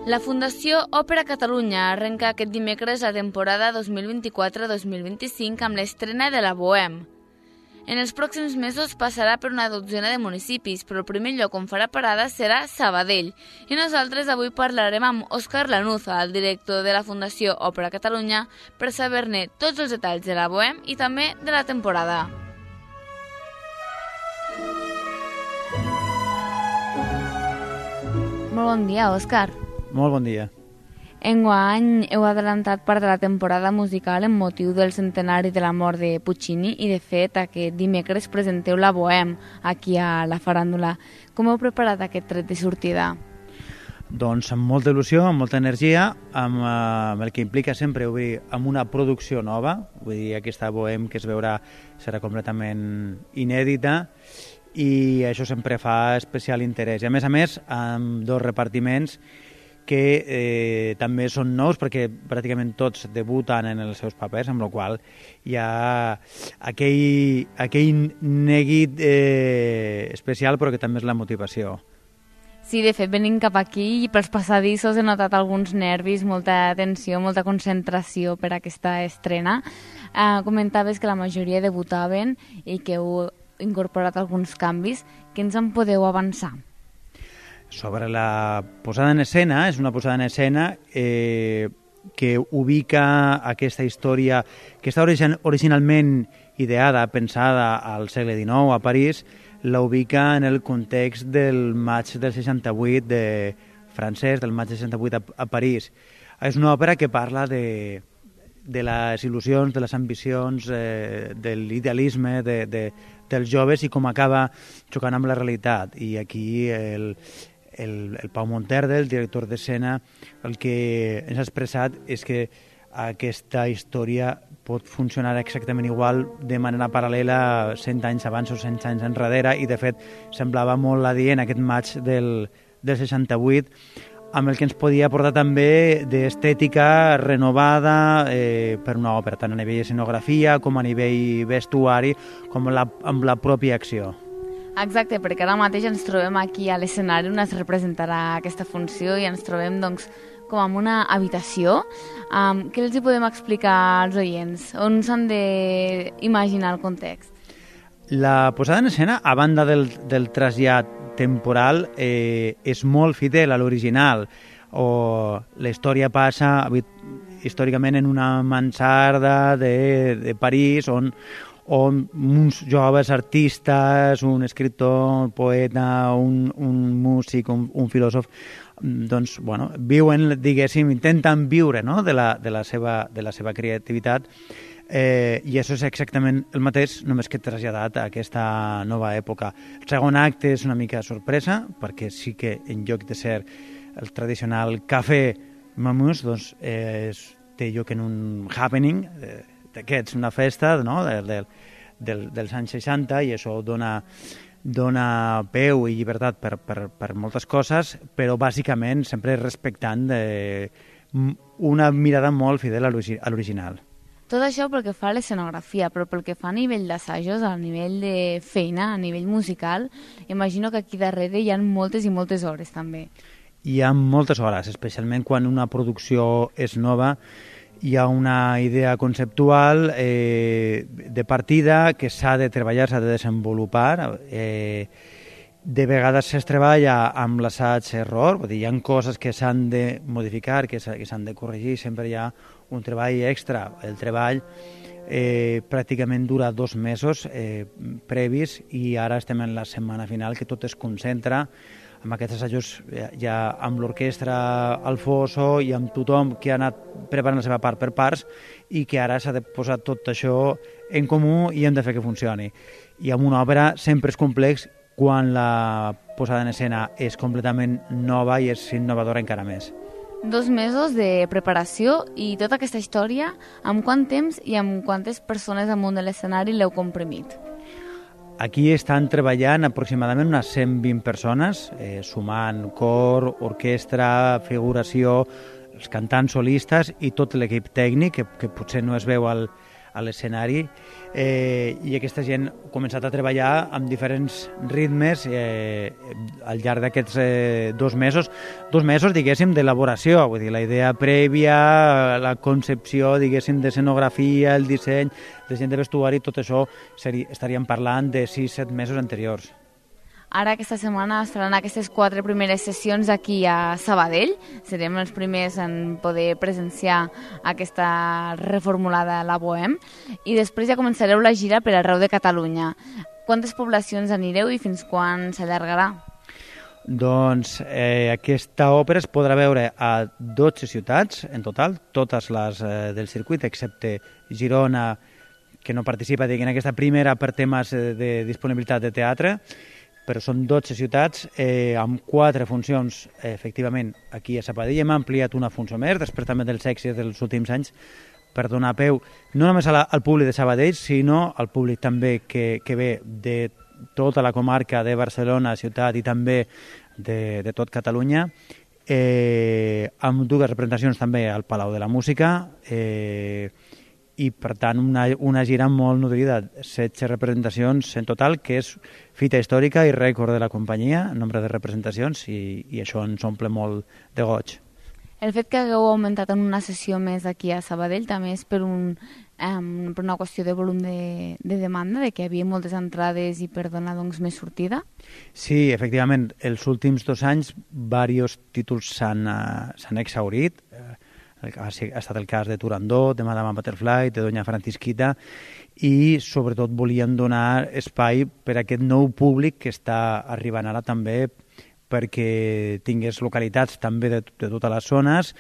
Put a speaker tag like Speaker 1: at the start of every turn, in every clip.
Speaker 1: La Fundació Òpera Catalunya arrenca aquest dimecres la temporada 2024-2025 amb l'estrena de la Bohème. En els pròxims mesos passarà per una dotzena de municipis, però el primer lloc on farà parada serà Sabadell. I nosaltres avui parlarem amb Òscar Lanuza, el director de la Fundació Òpera Catalunya, per saber-ne tots els detalls de la Bohème i també de la temporada. Molt bon dia, Òscar.
Speaker 2: Molt bon dia.
Speaker 1: Enguany heu adelantat part de la temporada musical en motiu del centenari de la mort de Puccini i, de fet, aquest dimecres presenteu la Bohème aquí a la faràndula. Com heu preparat aquest tret de sortida?
Speaker 2: Doncs amb molta il·lusió, amb molta energia, amb el que implica sempre obrir amb una producció nova, vull dir, aquesta Bohème que es veurà serà completament inèdita i això sempre fa especial interès. I a més, amb dos repartiments que també són nous perquè pràcticament tots debuten en els seus papers, amb la qual hi ha aquell neguit especial, però que també és la motivació.
Speaker 1: Sí, de fet, venint cap aquí i pels passadissos he notat alguns nervis, molta tensió, molta concentració per aquesta estrena. Comentaves que la majoria debutaven i que heu incorporat alguns canvis. Què ens en podeu avançar?
Speaker 2: Sobre la posada en escena, és una posada en escena que ubica aquesta història que està originalment ideada, pensada al segle XIX a París, la ubica en el context del maig del 68 francès, del maig del 68 a París. És una òpera que parla de les il·lusions, de les ambicions, de l'idealisme dels joves i com acaba xocant amb la realitat. I aquí el Pau Monterde, el director d'escena, el que ens ha expressat és que aquesta història pot funcionar exactament igual de manera paral·lela 100 anys abans o 100 anys enrere i de fet semblava molt adient aquest maig del 68 amb el que ens podia aportar també d'estètica renovada per una òpera, tant a nivell escenografia com a nivell vestuari com amb la pròpia acció.
Speaker 1: Exacte, perquè ara mateix ens trobem aquí a l'escenari on es representarà aquesta funció i ens trobem doncs, com en una habitació. Què els hi podem explicar als oients? On s'han d'imaginar el context?
Speaker 2: La posada en escena, a banda del trasllat temporal, és molt fidel a l'original. La història passa històricament en una mansarda de París on uns joves artistes, un escriptor, un poeta, un músic, un filòsof, doncs, bueno, viuen, diguéssim, intenten viure, no?, de la seva creativitat, i això és exactament el mateix, només que traslladat a aquesta nova època. El segon acte és una mica sorpresa, perquè sí que en lloc de ser el tradicional cafè mamús, doncs té lloc en un happening, d'aquests, una festa, no?, dels anys 60, i això dona peu i llibertat per moltes coses, però bàsicament sempre respectant una mirada molt fidel a l'original.
Speaker 1: Tot això pel que fa a l'escenografia, però pel que fa a nivell d'assajos, a nivell de feina, a nivell musical, imagino que aquí darrere hi ha moltes i moltes hores també.
Speaker 2: Hi ha moltes hores, especialment quan una producció és nova. Hi ha una idea conceptual de partida que s'ha de treballar, s'ha de desenvolupar. De vegades es treballa amb l'assaig-error, vull dir, hi ha coses que s'han de modificar, que s'han de corregir, sempre hi ha un treball extra. El treball pràcticament dura 2 mesos previs i ara estem en la setmana final que tot es concentra amb aquests assajos ja amb l'orquestra al foso i amb tothom que ha anat preparant la seva part per parts i que ara s'ha de posar tot això en comú i hem de fer que funcioni. I amb una òpera sempre és complex quan la posada en escena és completament nova i és innovadora encara més.
Speaker 1: 2 mesos de preparació i tota aquesta història, amb quant temps i amb quantes persones amunt de l'escenari l'heu comprimit?
Speaker 2: Aquí estan treballant aproximadament unes 120 persones, sumant cor, orquestra, figuració, els cantants solistes i tot l'equip tècnic, que potser no es veu al a l'escenari, i aquesta gent ha començat a treballar amb diferents ritmes al llarg d'aquests 2 mesos. 2 mesos, diguéssim, d'elaboració, vull dir, la idea prèvia, la concepció, diguéssim, d'escenografia, el disseny, de gent de vestuari, tot això estaríem parlant de 6-7 mesos anteriors.
Speaker 1: Ara aquesta setmana es faran aquestes 4 primeres sessions aquí a Sabadell. Serem els primers en poder presenciar aquesta reformulada La Bohème i després ja començareu la gira per arreu de Catalunya. Quantes poblacions anireu i fins quan s'allargarà?
Speaker 2: Doncs aquesta òpera es podrà veure a 12 ciutats en total, totes les del circuit, excepte Girona, que no participa en aquesta primera per temes de disponibilitat de teatre, però són 12 ciutats amb 4 funcions, efectivament, aquí a Sabadell. Hem ampliat una funció més, després també dels èxits dels últims anys, per donar peu no només al públic de Sabadell, sinó al públic també que ve de tota la comarca de Barcelona, ciutat, i també de tot Catalunya, amb 2 representacions també al Palau de la Música, i per tant una gira molt nodrida, 16 representacions en total, que és fita històrica i rècord de la companyia, nombre de representacions, i això ens omple molt de goig.
Speaker 1: El fet que hagueu augmentat en una sessió més aquí a Sabadell també és per una qüestió de volum de demanda, de que hi havia moltes entrades i per donar doncs, més sortida?
Speaker 2: Sí, efectivament, els últims 2 anys diversos títols s'han exhaurit. Ha estat el cas de Turandot, de Madame Butterfly, de Doña Francisquita, i sobretot volien donar espai per a aquest nou públic que està arribant ara també, perquè tingués localitats també de totes les zones,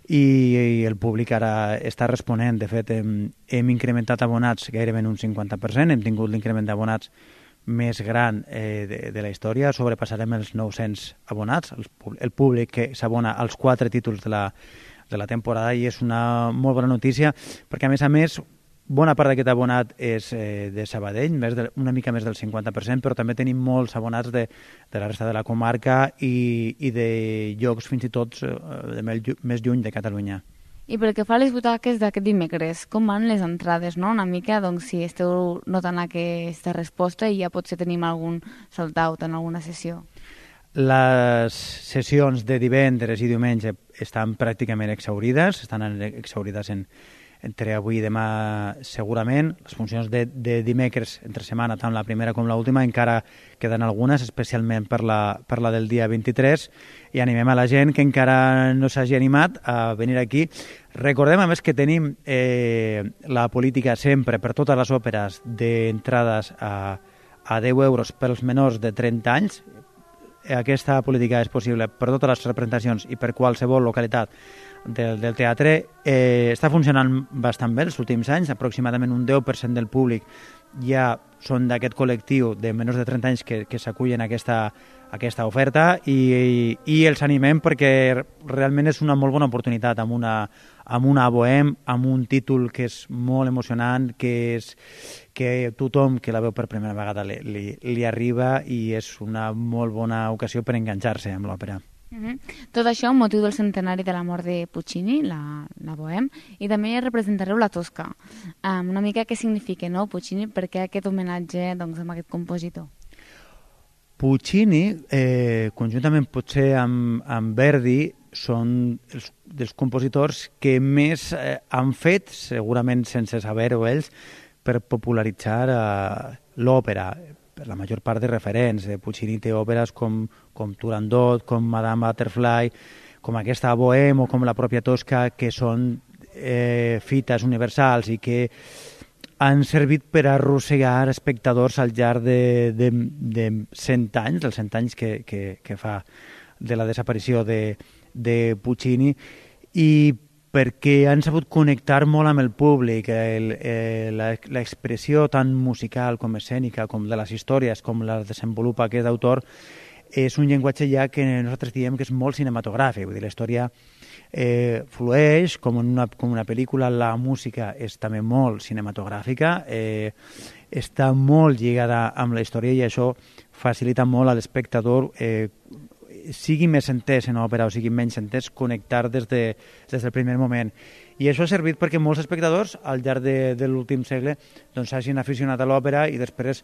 Speaker 2: i el públic ara està responent. De fet, hem incrementat abonats gairebé en un 50%, hem tingut l'increment d'abonats més gran de la història, sobrepassarem els 900 abonats, el públic que s'abona als 4 títols de la temporada, i és una molt bona notícia, perquè a més, bona part d'aquest abonat és de Sabadell, una mica més del 50%, però també tenim molts abonats de la resta de la comarca i de llocs fins i tot més lluny de Catalunya.
Speaker 1: I pel que fa a les butaques d'aquest dimecres, com van les entrades, no? Una mica, doncs, si esteu notant aquesta resposta i ja potser tenim algun sold-out en alguna sessió.
Speaker 2: Les sessions de divendres i diumenge estan pràcticament exhaurides, entre avui i demà segurament. Les funcions de dimecres entre setmana, tant la primera com l'última, encara queden algunes, especialment per la del dia 23, i animem a la gent que encara no s'hagi animat a venir aquí. Recordem, a més, que tenim la política sempre, per totes les òperes, d'entrades a 10 euros pels menors de 30 anys. Aquesta política és possible per totes les representacions i per qualsevol localitat del teatre. Està funcionant bastant bé els últims anys, aproximadament un 10% del públic ja són d'aquest col·lectiu de menys de 30 anys que s'acullen a aquesta oferta, i els animem perquè realment és una molt bona oportunitat amb una Bohème, amb un títol que és molt emocionant, que tothom que la veu per primera vegada li arriba, i és una molt bona ocasió per enganxar-se amb l'òpera.
Speaker 1: Tot això amb motiu del centenari de la mort de Puccini, la Bohème, i també representareu la Tosca. Una mica què significa, no, Puccini? Per què aquest homenatge doncs, amb aquest compositor?
Speaker 2: Puccini, conjuntament potser amb Verdi, són dels compositors que més han fet, segurament sense saber-ho ells, per popularitzar l'òpera. Per la major part de referents. Puccini té òperes com Turandot, com Madame Butterfly, com aquesta Bohème o com la pròpia Tosca, que són fites universals i que han servit per arrossegar espectadors al llarg de 100 anys, els 100 anys que fa de la desaparició de Puccini, i perquè han sabut connectar molt amb el públic. L'expressió tant musical com escènica, com de les històries, com les desenvolupa aquest autor, és un llenguatge ja que nosaltres diem que és molt cinematogràfic. Vull dir, la història flueix com una pel·lícula, la música és també molt cinematogràfica, està molt lligada amb la història, i això facilita molt a l'espectador, sigui més entès en òpera o sigui menys entès, connectar des del primer moment. I això ha servit perquè molts espectadors al llarg de l'últim segle s'hagin aficionat a l'òpera i després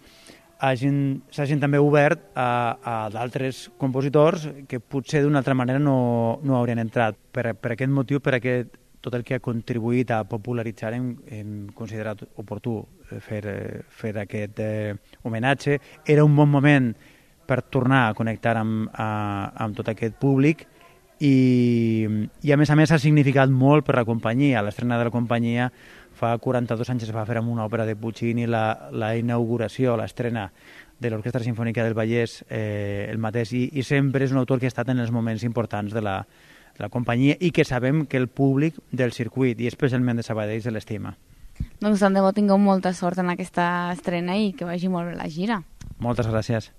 Speaker 2: s'hagin també obert a d'altres compositors que potser d'una altra manera no haurien entrat. Per aquest motiu, tot el que ha contribuït a popularitzar, hem considerat oportú fer aquest homenatge. Era un bon moment per tornar a connectar amb tot aquest públic i a més ha significat molt per la companyia. L'estrena de la companyia fa 42 anys es va fer amb una òpera de Puccini, la inauguració, l'estrena de l'Orquestra Simfònica del Vallès el mateix, i sempre és un autor que ha estat en els moments importants de la companyia i que sabem que el públic del circuit i especialment de Sabadell se l'estima.
Speaker 1: Doncs tant de bo tingueu molta sort en aquesta estrena i que vagi molt bé la gira.
Speaker 2: Moltes gràcies.